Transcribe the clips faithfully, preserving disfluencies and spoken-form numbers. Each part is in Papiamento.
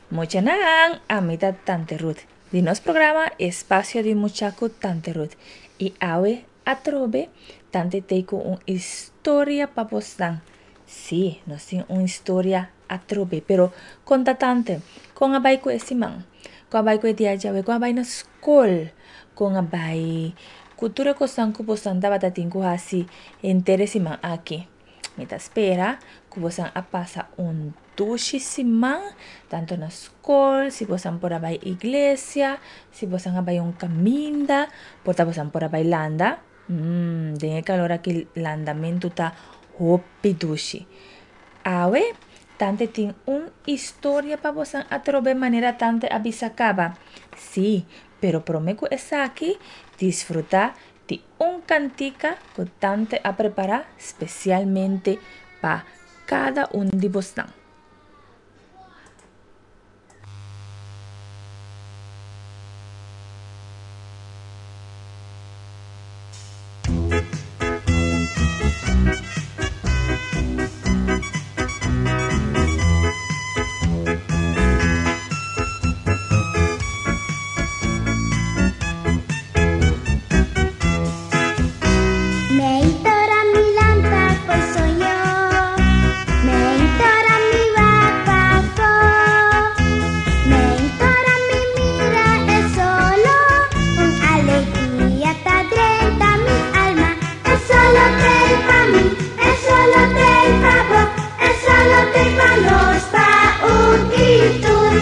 Muchanan, ami ta Tante Ruth. Di nos programa Espacio di Mucha ku Tante Ruth. I awe atrobe Tante t'ei ku un historia pa bosnan. Sí, nos tin un historia atrobe, pero konta Tante, kon a bai ku e siman? Kon a bai ku e dia djawe? Kon a bai na skol? Kon a bai ku tur e kosnan ku bosnan tabata tin ku hasi henter e siman aki? Mi ta spera ku bosan a pasa un dushi siman, tanto na skol, si bosan por a bai iglesia, si bosan a bai un kaminda, por ta bosan por a bai landa. Mm, den e kalor aki landamentu ta hopi dushi. Awe, Tante tin un historia pa bosan atrobe manera Tante a bisa kaba. Sí, pero promé ku esaki, disfrutá di un kantika ku Tante a prepará spesialmente pa kada un di bosnan. Meitora mi lanta fo'i soño, meitora mi wak pafó, meitora mi mira e solo, un alegria ta drenta mi alma. E solo t'ei pa mi, e solo t'ei pa bo, e solo t'ei pa nos, pa un i tur.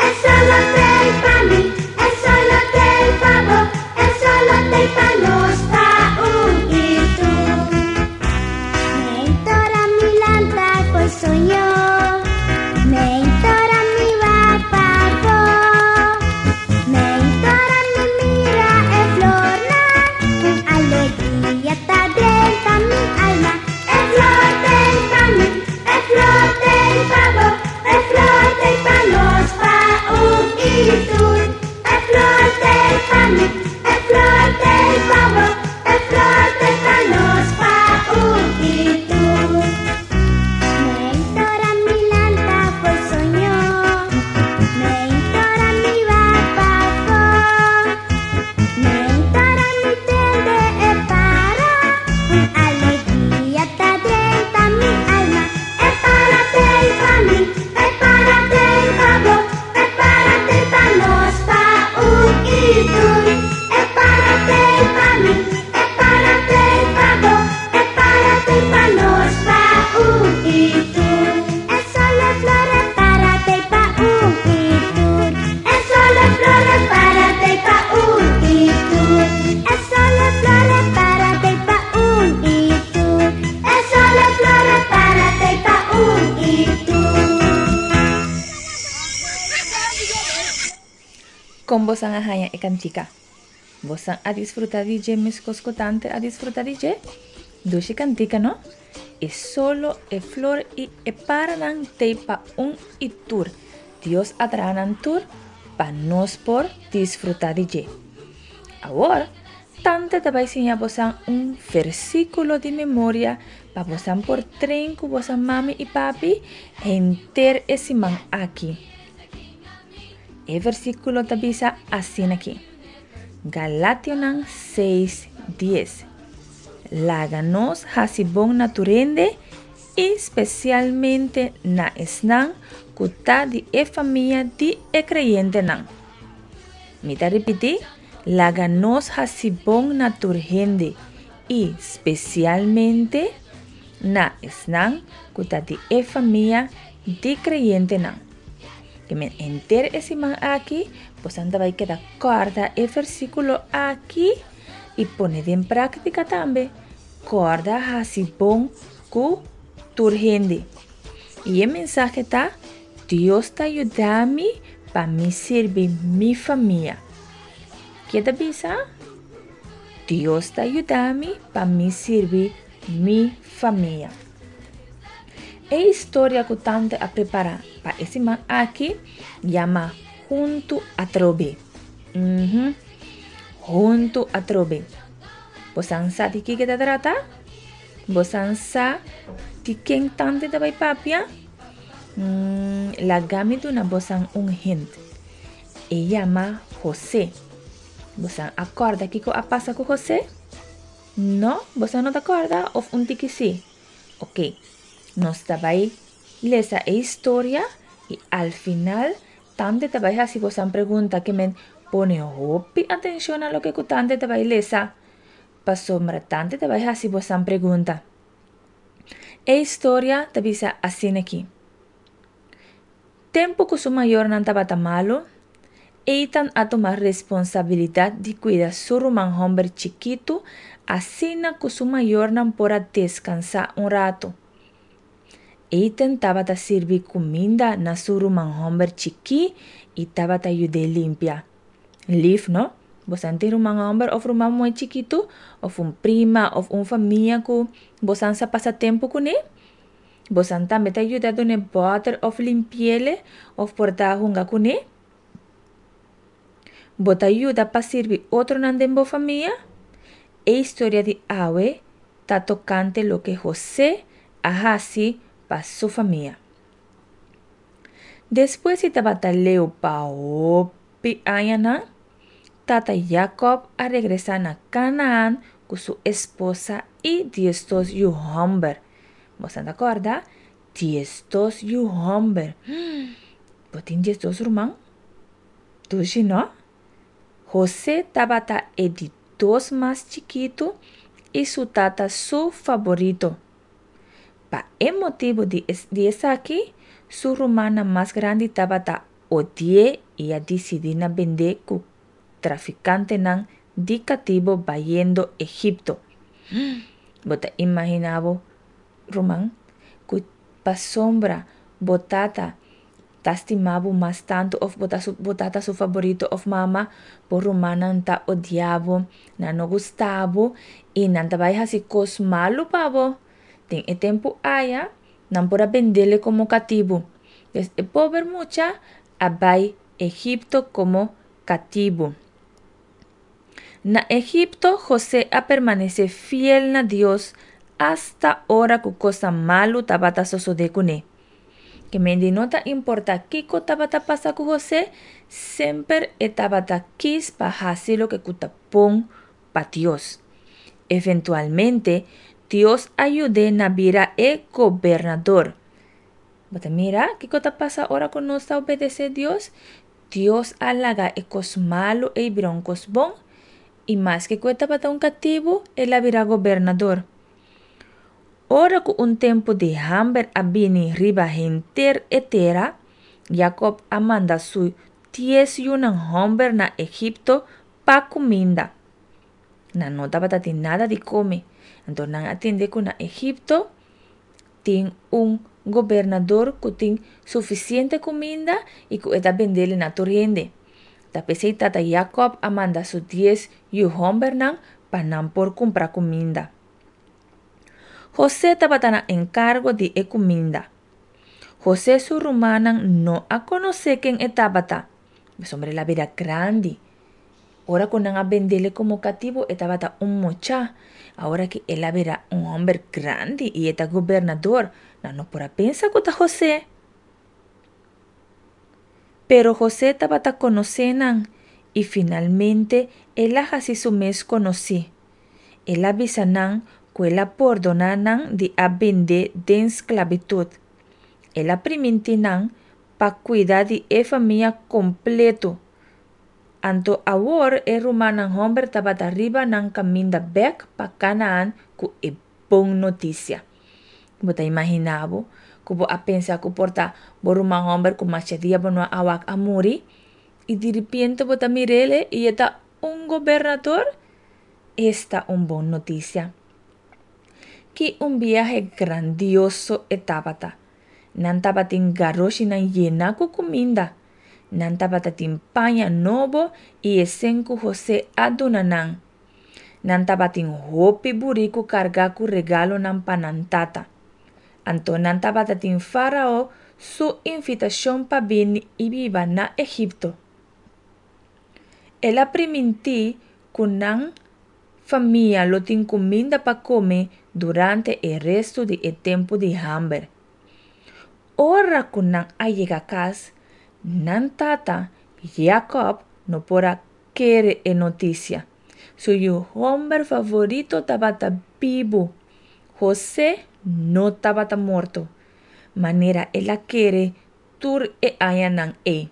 E solo t'ei pa mi, e solo t'ei pa bo, e solo t'ei pa nos, pa un i tur. Meitora mi lanta fo'i soño, meitora mi wak pafó, meitora mi mira e flornan, un alegria ta drenta mi alma. E flor t'ei pa mi, e flor t'ei pa bo, e flor t'ei pa nos, pa un i tur. E flor t'ei pa mi, e flor t'ei pa bo, e flor t'ei pa nos, pa un i tur. Meitora mi lanta fo'i soño, meitora mi wak pafó, meitora mi tende e para, un alegria ta drenta mi alma. E para t'ei pa mi, e para t'ei pa bo, e para t'ei pa nos, pa un i tur. E para t'ei pa mi, e para t'ei pa bo, e para t'ei pa nos, pa un i tur. E solo e flor e para t'ei pa un i tur. E solo e flor e para t'ei pa un i tur. E solo e flor e para t'ei pa un i tur. E solo e flor e para t'ei pa un i tur. Kon bosan a haña e kantika? Bosan a disfrutá di dje meskos ku Tante a disfrutá di dje? Dushi kantika, no? E solo, e flor i e paranan t'ei pa un i tur. Dios a traha nan tur pa nos por disfrutá di dje. Awor, Tante ta bai siña bosan un versíkulo di memoria pa bosan por train ku bosan mami i papi henter e siman aki. E versíkulo ta bisa asina aki, Galationan seis dies, Laga nos hasi bon na tur hende i spesialmente na esnan ku ta di e famia di e kreyentenan. Mi ta ripití, laga nos hasi bon na tur hende i spesialmente na esnan ku ta di e famia di kreyentenan. Ke men henter e siman aki bosan ta bai keda kòrda e versíkulo aki i pone den práktika tambe. Kòrda hasi bon ku tur hende. I e mensahe ta, Dios ta yuda mi pa mi sirbi mi famia. Ke ta bisa? Dios ta yuda mi pa mi sirbi mi famia. E historia ku Tante a prepará pa e siman aki yama Huntu Atrobe. Mhm. Huntu Atrobe. Bosan sa di kiko ta trata? Bosan sa di ken Tante ta bai papia? Mm, laga mi duna boso un hint. E yama José. Boso a kòrda kiko a pasa ku José? No? Boso no ta kòrda? Òf un tiki sí? Ok. Nos ta bai lesa e historia i al final tante ta bai hasi boso pregunta ke men pone hopi atenshon na loke ku tante ta bai lesa. Pasobra tante ta bai hasi boso pregunta. E historia ta bisa asina aki. Tempu ku su mayornan tabata malu, Eitan a tuma responsabilidat di kuida su ruman hòmber chikitu, asina ku su mayornan por a deskansá un ratu. Eitan tabata sirbi kuminda na su ruman hòmber chikí i tabata yud'é limpia. Lif, no? Bo tin ruman hòmber òf ruman muhé chikitu, òf un prima, òf un famia ku bo sa pasa tempu kuné? Bo tambe ta yuda dun'é bòter òf limpi'é òf por ta hunga kuné? Bo ta yuda pa sirbi otronan den bo famia? E historia di awe ta tokante loke José a hasi pa su famia. Despues di tabata leu pa hopi aña, tata Jacob a regresá na Canaan ku su esposa i diesdos yu hòmber. Bo ta kòrda? Diesdos yu hòmber. Bo tin diesdos ruman? Dushi, no? José tabata e di dos mas chikitu i su tata su faborito. Pa e motibu di, di esaki, su rumannan mas grandi tabata odi'é i a disidí na bend'é ku trafikantenan di katibu bayendo Egipto. Bo ta imaginá bo, ruman, ku pasobra bo tata ta stima bo mas tantu òf bo ta su, bo tata su faborito òf mama, bo rumannan ta odia bo, nan no gusta bo i nan ta bai hasi kos malu pa bo. Den e tempu aya, nan por a bend'é komo katibu. Dus e pober mucha a bai Egipto komo katibu. Na Egipto, José a permanesé fiel na Dios asta ora ku kos malu tabata sosodé kuné. Ke men no ta importá kiko tabata pasa ku José, semper e tabata kies pa hasi loke ta bon pa Dios. Eventualmente, Dios a yud'é na bira e gobernador. Bo ta mira, kiko ta pasa ora ku nos ta obedesé Dios? Dios a laga e kos malu ei bira un kos bon, i maske ku e tabata un katibu, el a bira gobernador. Ora ku un tempu di hamber a bini riba henter e tera, Jacob a manda su dies yunan hòmber na Egipto pa kuminda. Nan no tabatin nada di kome. Anto nan a tende ku na Egipto tin un gobernador ku tin sufisiente kuminda i ku e ta bende na tur hende. Ta p'esei tata Jacob a manda su dies yu hòmbernan pa nan por kumpra kuminda. José tabata na enkargo di e kuminda. José su rumannan no a konosé ken e tabata. Pasobra el a bira grandi. Ora ku nan a bend'é komo katibu, e tabata un mucha. Awor ku el a bira un hòmber grandi i e ta gobernador, nan no por a pensa ku ta José. Pero José tabata konosé nan i finalmente el a hasi su mes konosí. El a bisa nan ku el a pordoná nan di a bend'é den sklabitut. El a primintí nan pa kuida di e famia kompleto. Anto awor e rumannan hòmber tabata riba nan kaminda bèk pa Canaan ku e bon notisia. Bo ta imaginá bo, ku bo a pensa ku por ta bo ruman hòmber ku masha dia bo no a wak a muri i di repente bo ta mir'é i e ta un gobernador? Esta un bon notisia. Ki un biahe grandioso e tabata. Nan tabatin garoshinan yená ku kuminda. Nan tabatin paña nobo i e sèn ku José a duna nan. Nan tabatin hopi buriku kargá ku regalonan pa nan tata. Anto nan tabatin Farao su invitashon pa bini i biba na Egipto. El a primintí ku nan famia lo tin kuminda pa kome durante e restu di e tempu di hamber. Ora ku nan a yega kas, nan tata, Yakob, no por a kere e notisia. Su yu hòmber favorito tabata bibu. Hosé no tabata morto, manera el a kere tur e añanan ei.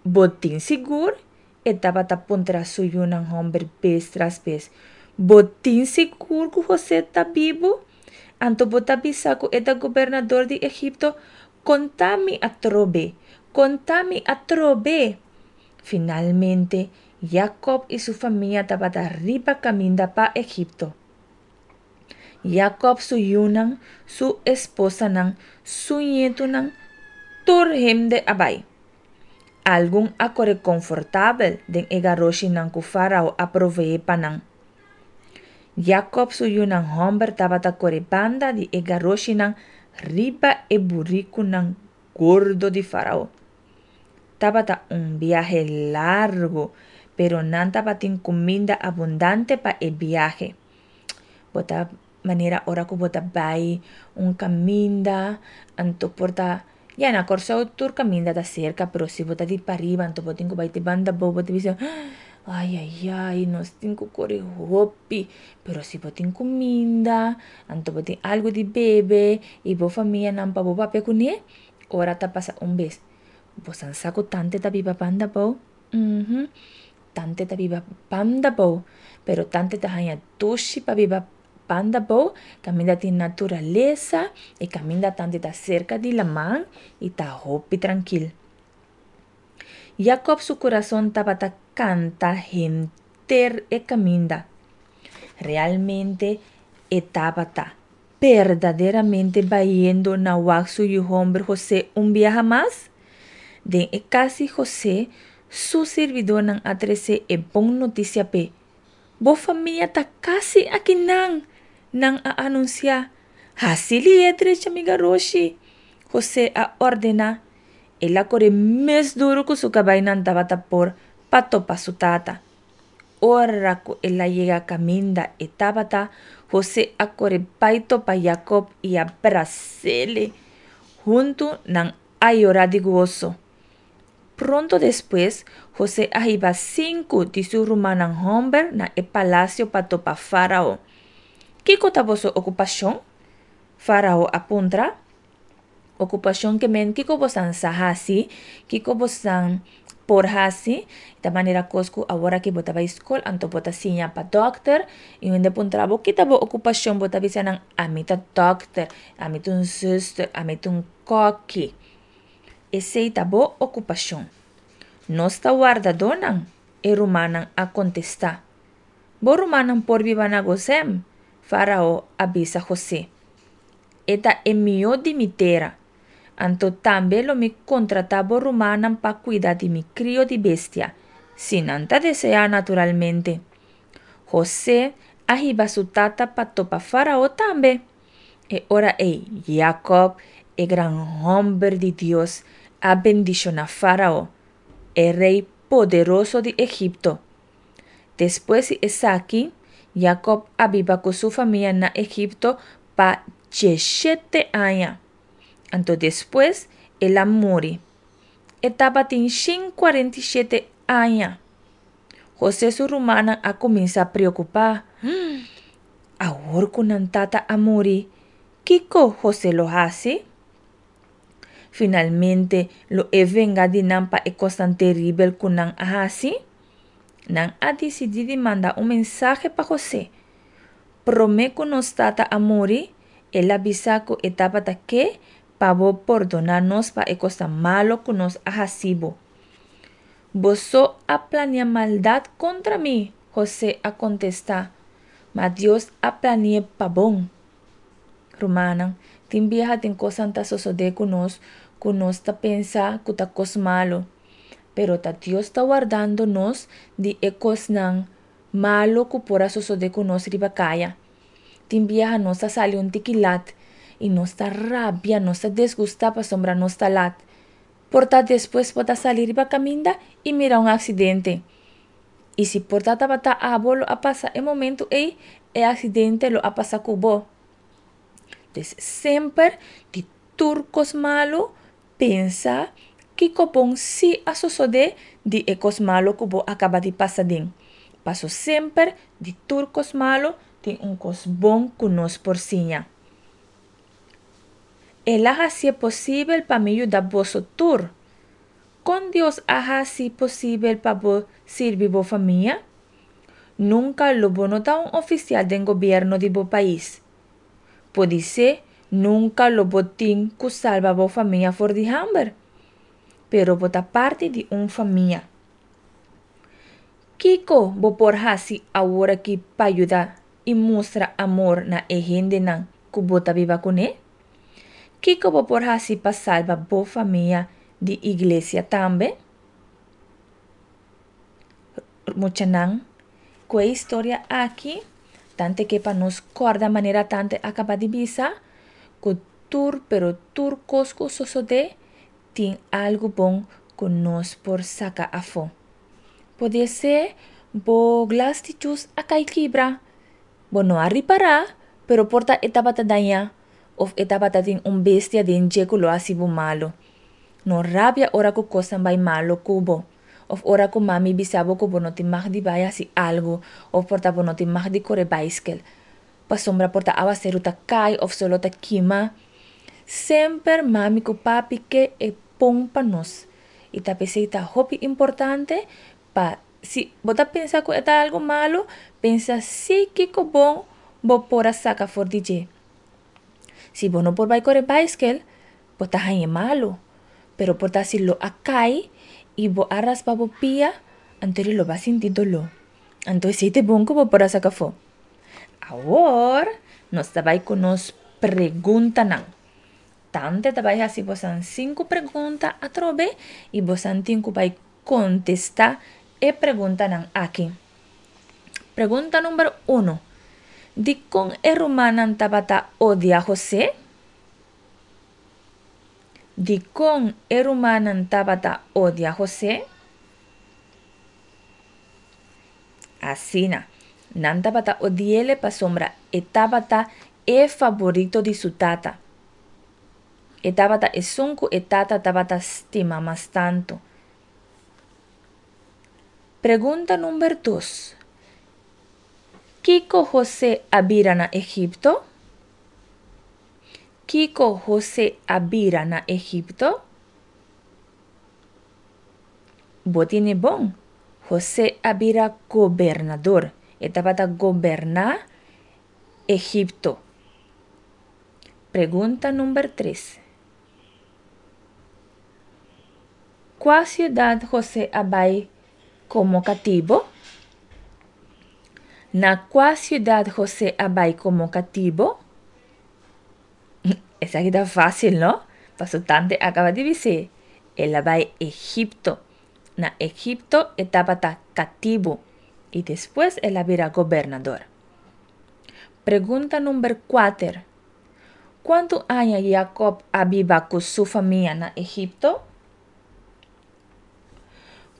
Bo tin sigur? E tabata puntra su yunan hòmber bes tras bes. Bo tin sigur ku Hosé ta bibu? Anto bo ta bisa ku e ta gobernador di Egipto? Konta mi atrobe! Konta mi atrobe! Finalmente, Yakob i su famia tabata riba kaminda pa Egipto. Yakob su yunan, su esposanan, su ñetunan, tur hende a bai. Algun a kore konfortabel den e garoshinan ku Fárao a proveé pa nan. Yakob su yunan hòmber tabata kore banda di e garoshinan riba e burikunan gordo di Fárao. Tabata un biahe largu, pero nan tabatin kuminda abundante pa e biahe. Bo ta manera ora ku bo ta bai un kaminda, anto por ta, ya na Kòrsou tur kaminda ta serka, pero si bo ta di pariba anto bo tin ku bai te banda abou, bo ta bisa ai ai ai nos tin ku kore hopi. Pero si bo tin kuminda, anto bo tin algu di bebe i bo famianan pa bo papia kuné, ora ta pasa un bes. Bo san sa ku tante ta biba banda abou? Uhum, tante ta biba banda abou, pero tante ta haña dushi pa biba banda abou, kaminda tin naturalesa i kaminda tante ta serka di laman i ta hopi trankil. Yakob su kurason tabata kanta henter e kaminda. Realmente e tabata berdaderamente bayendo na wak su yu hòmber Hosé un biaha mas? Den e kas di Hosé, su sirbidónan a trese e bon notisia p'e. Bo famia ta kasi akinan! Nan a anunsiá. Hasi li'é drecha mi garoshi! Hosé a ordená. El a kore mes duru ku su kabainan tabata por pa topa su tata. Ora ku el a yega kaminda e tabata, Hosé a kore bai topa Yakob i a bras'é. Huntu nan a yora di goso. Pronto despues, Hosé a hiba sinku di su rumannan hòmber na e palasio pa topa Fárao. Kiko ta boso okupashon? Fárao a puntra. Okupashon ke men kiko bosan sa hasi, kiko bosan por hasi. Ta manera kos ku awor aki bo ta bai skol anto bo ta siña pa dòkter i hende puntra bo ki ta bo okupashon bo ta bisa nan ami ta dòkter, ami ta un zùster, ami ta un kòki. Esei ta bo okupashon. Nos ta wardadónan, e rumannan a kontestá. Bo rumannan por biba na Gosem, Fárao a bisa José. E ta e mihó di mi tera. Anto tambe lo mi kontratá bo rumannan pa kuida di mi krio di bestia, si nan ta deseá naturalmente. José a hiba su tata pa topa Fárao tambe. E ora ei Yakob, e gran hòmber di Dios, a bendishoná Fárao, e rei poderoso di Egipto. Despues di esaki, Yakob a biba ku su famia na Egipto pa djeshete aña. Anto despues el a muri. E tabatin shen kuarenta i shete aña. José su rumannan a kuminsá preokupá. Awor ku nan tata a muri, kiko José lo hasi? Finalmente lo e venga di nan pa e kosnan teribel ku nan a hasi? Nan a disidí di manda un mensahe pa José. Promé ku nos tata a muri, el a bisa ku e tabata ke pa bo pordoná nos pa e kosnan malo ku nos a hasi bo. Boso a plania maldat kontra mi, José a kontestá, ma Dios a plani'é pa bon. Rumannan, tin biaha tin kosnan ta sosodé ku nos ku nos ta pensa ku ta kos malu, pero ta Dios ta wardando nos di e kosnan malu ku por a sosodé ku nos riba kaya. Tin biaha nos ta sali un tiki lat i nos ta rabia, nos ta desgustá pasobra nos ta lat. Por ta despues bo ta sali riba kaminda i mira un aksidente. I si por ta tabata abo lo a pasa e momentu ei, e aksidente lo a pasa ku bo. Dus semper di tur kos malu, pensa kiko bon sí a sosodé di e kos malu ku bo a kaba di pasa aden. Paso semper di tur kos malu tin un kos bon ku nos por siña. El a hasié posibel pa mi yuda boso tur. Kon Dios a hasi posibel pa bo sirbi bo famia? Nunka lo bo no ta un ofisial den gobièrnu di bo pais. Podisé nunka lo bo tin ku salba bo famia for di hamber. Pero bo ta parti di un famia. Kiko bo por hasi aworakí pa yuda i mustra amor na e hendenan ku bo ta biba kuné? Kiko bo por hasi pa salba bo famia di iglesia tambe? Muchanan, ku e historia aki, tante ke pa nos kòrda manera tante a kaba di bisa, ku tur pero tur kos ku sosodé tin algu bon ku nos por saka afó. Podisé bo glas di djus a kai kibra. Bo no a ripará, pero por ta e tabata dañá òf e tabata tin un bestia den dje ku lo hasi bo malu. No rabia ora ku kosnan bai malu ku bo òf ora ku mami bisa bo ku bo no tin mag di bai hasi algu òf por ta bo no tin mag di kore baiskel pasobra por ta awaseru ta kai òf solo ta kima. Semper mami ku papi ke e bon pa nos i ta p'esei ta hopi importante pa si bo ta pensa ku e ta algu malu, pensa si kiko bon bo por a saka for di dje. Si bo no por bai kore baiskel, bo ta hañ'e malu, pero por ta si lo a kai i bo a raspa bo pia, anto lo bo a sinti doló. Anto esei ta e bon ku bo por a saka afó. Awor nos ta bai ku nos preguntanan. Tante ta bai hasi bosan sinku pregunta atrobe i bosan tin ku bai kontestá e preguntanan aki. Pregunta number uno. Dikon e rumannan tabata odia José? Dikon e rumannan tabata odia José? Asina, nan tabata odi'é pasobra e tabata e faborito di su tata. E tabata esun ku e tata tabata stima mas tantu. Pregunta number dos. Kiko José a bira na Egipto? Kiko José a bira na Egipto? Bo tine bon. José a bira gobernador. E tabata goberná Egipto. Pregunta number tres. Kua siudat José a bai komo katibu? Na kua siudat José a bai komo katibu? Esaki ta fásil, no? Paso tante a kaba di bis'é. El a bai Egipto. Na Egipto e tabata katibu i despues el a bira gobernador. Pregunta number kuater. Kuantu aña Yakob a biba ku su famia na Egipto?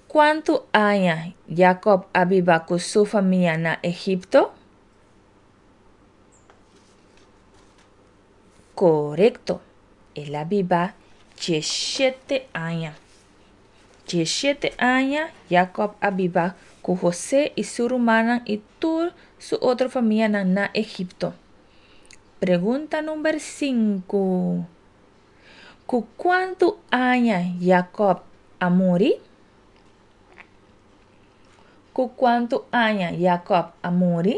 Kuantu aña Yakob a biba ku su famia na Egipto? Korekto, el a biba diesshete aña. Diesshete aña Yakob a biba ku Hosé i su rumannan i tur su otro famianan na Egipto. Pregunta number sinku. Ku kuantu aña Yakob a muri? Ku kuantu aña Yakob a muri?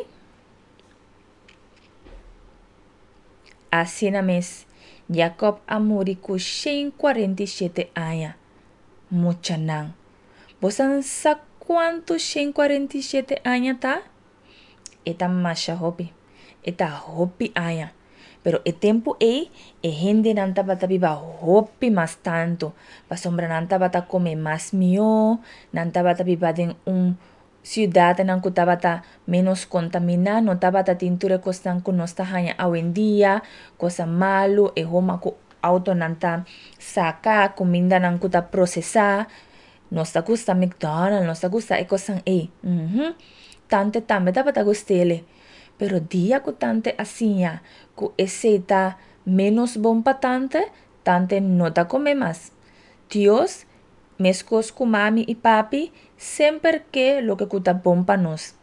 Asina mes, Yakob a muri ku shen kuarenta i shete aña. Muchanan, bosan sa kuantu shen kuarenta i shete aña ta? E ta masha hopi. E ta hopi aña. Pero e tempu ei, e hendenan tabata biba hopi mas tantu, pasobra nan tabata kome mas mihó, nan tabata biba den un siudatnan ku tabata ménos kontaminá, no tabata tin tur e kosnan ku nos ta haña awendia, kosa malu, e homa ku outonan ta saka, kumindanan ku ta prosesá. Nos ta gusta McDonald's, nos ta gusta e kosnan ei. Uhum. Tante tambe tabata gust'ele. Pero dia ku tante a siña ku esei ta ménos bon pa tante, Tante no ta kome mas. Dios, meskos ku mami i papi, semper ke loke ku ta bon pa nos.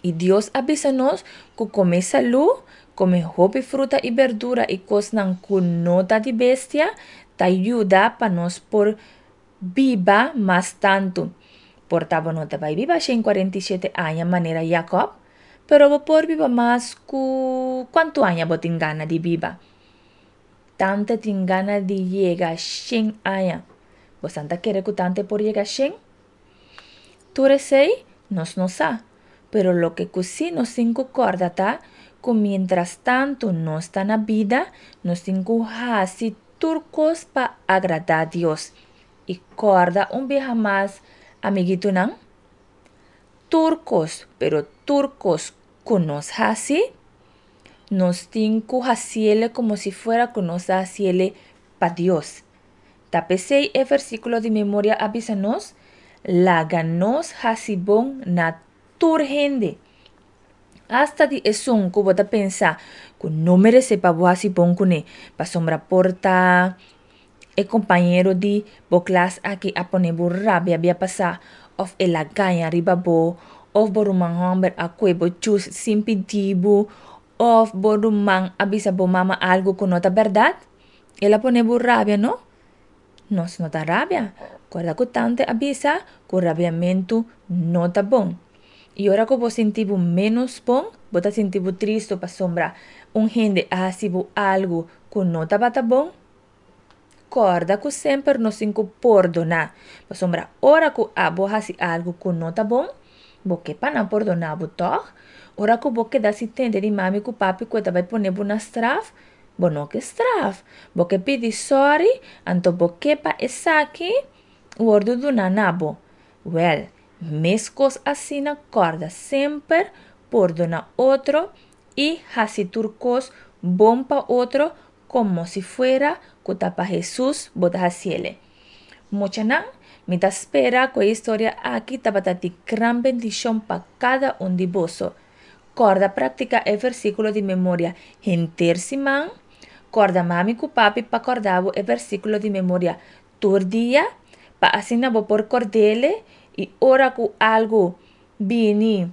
I Dios a bisa nos ku kome salú, kome hopi fruta i berdura i kosnan ku no ta di bestia, ta yuda pa nos por biba mas tantu. Por ta bo no ta bai biba shen kuarenta i shete aña manera Jacob, pero bo por biba mas ku kuantu aña bo tin gana di biba. Tante tin gana di yega shen aña. Bosan ta kere ku tante por yega shen? Tur esei nos no sa, pero loke ku sí nos tin ku kòrda ta ku mientras tantu nos ta na bida, nos tin ku hasi tur kos pa agradá Dios. I kòrda un biaha mas, amiguitonan, tur kos, pero tur kos ku nos hasi, nos tin ku hasiele komo si fuera ku nos ta hasiele pa Dios. Ta p'esei e versíkulo di memoria a bisa nos, Laga nos hasi bon na tur hende. Asta di esun ku bo ta pensa ku no meresé pa bo hasi bon kuné, pasobra por ta e kompañero di bo klas aki a pone bo rabia bia pasá, òf el a gaña riba bo, òf bo ruman hòmber a kue bo chus sin pidi bo, òf bo ruman a bisa bo mama algu ku no ta bèrdat. El a pone bo rabia, no? Nos no ta rabia. Kòrda ku tante a bisa ku rabiamentu no ta bon. I ora ku bo sinti bo ménos bon, bo ta sinti bo tristu pasobra un hende a hasi bo algu ku no tabata bon, kòrda ku semper nos tin ku pordoná. Pasobra ora ku abo hasi algu ku no ta bon, bo ke pa nan pordoná bo, tòg? Ora ku bo keda si tende di mami ku papi ku e ta bai pone bo na straf, bo no ke straf. Bo ke pidi sòri, anto bo ke pa esaki wòrdu duná na bo. Wèl, meskos asina kòrda semper pordoná otro i hasi tur kos bon pa otro komo si fuera ku ta pa Hesus bo ta hasiele. Muchanan, mi ta spera ku e historia aki tabata di gran bendishon pa kada un di boso. Kòrda praktiká e versíkulo di memoria henter siman. Kòrda mami ku papi pa kòrda bo e versíkulo di memoria tur dia, pa asina bo por kòrd'ele i ora ku algu bini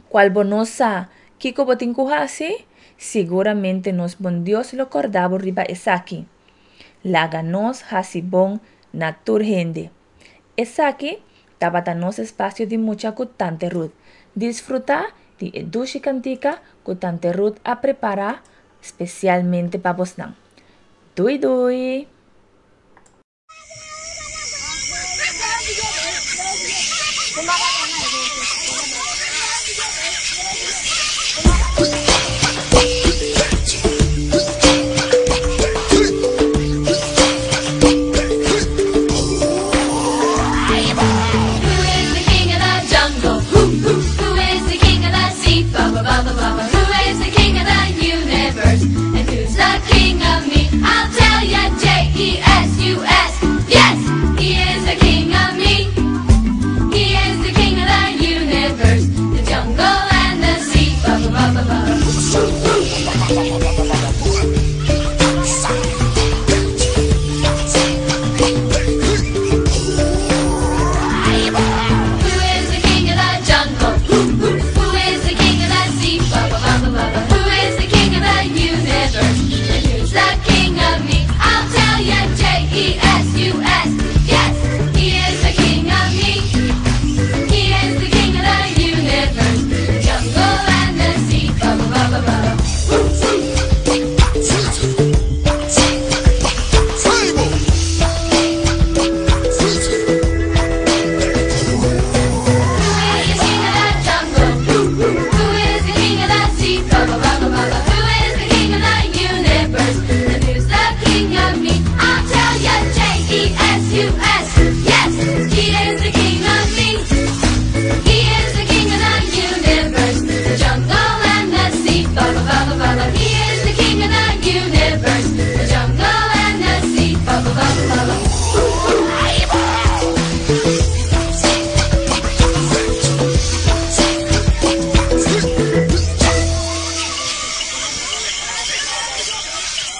kual bo no sa kiko bo tin ku hasi, siguramente nos bon Dios lo kòrda bo riba esaki. Laga nos hasi bon na tur hende. Esaki tabata nos espasio di mucha ku Tante Ruth. Disfrutá di e dushi kantika ku Tante Ruth a prepará spesialmente pa bosnan. Dui dui! Who is the king of the jungle? Who, who, who is the king of the sea? Ba ba ba ba ba ba. Who is the king of the universe? And who's the king of me? I'll tell ya, J E